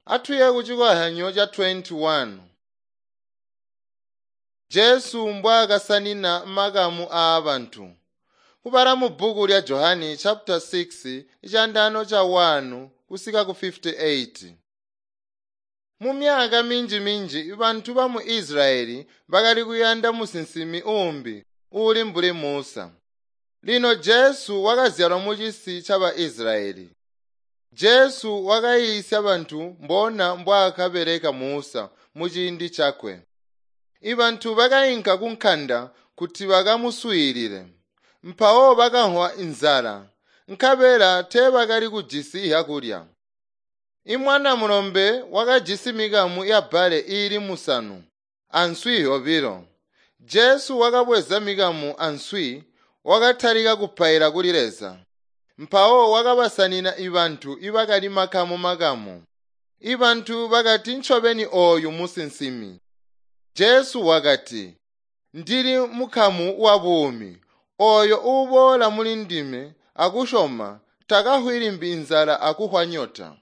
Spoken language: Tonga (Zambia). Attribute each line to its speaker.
Speaker 1: Atuye kucikozyanyo ca 21. Jesu mbwaakasanina makamu aabantu. Kubala mubbuku lya Johani chapter 6 icandano ca 1 kusika ku 58. Mumyaka minji-minji bantu bamu Israyeli bakali kuyanda musinsimi uumbi uuli mbuli Musa. Lino Jesu wakazyalwa mucisi caba Israyeli. Jesu wakayiisya bantu mbona mbwaakabeleka Musa muciindi cakwe. Ibantu bakainka kunkanda kuti bakamuswiilile. Mpawo bakamvwa inzala, nkabela teebakali kujisi zyakulya. Imwana mulombe wakajisi mikamu ya bbale iili musanu answi zyobilo. Jesu wakabweza mikamu answi wakatalika kupaila kuli Leza. Mpawo wakabasanina ibantu ibakali makamu-makamu. Ibantu bakati ncobeni ooyu musinsimi. Jesu wakati, “Ndili mukamu wa buumi. Ooyo uuboola muli ndime akusyoma takafwi limbi inzala akuhwa nyota.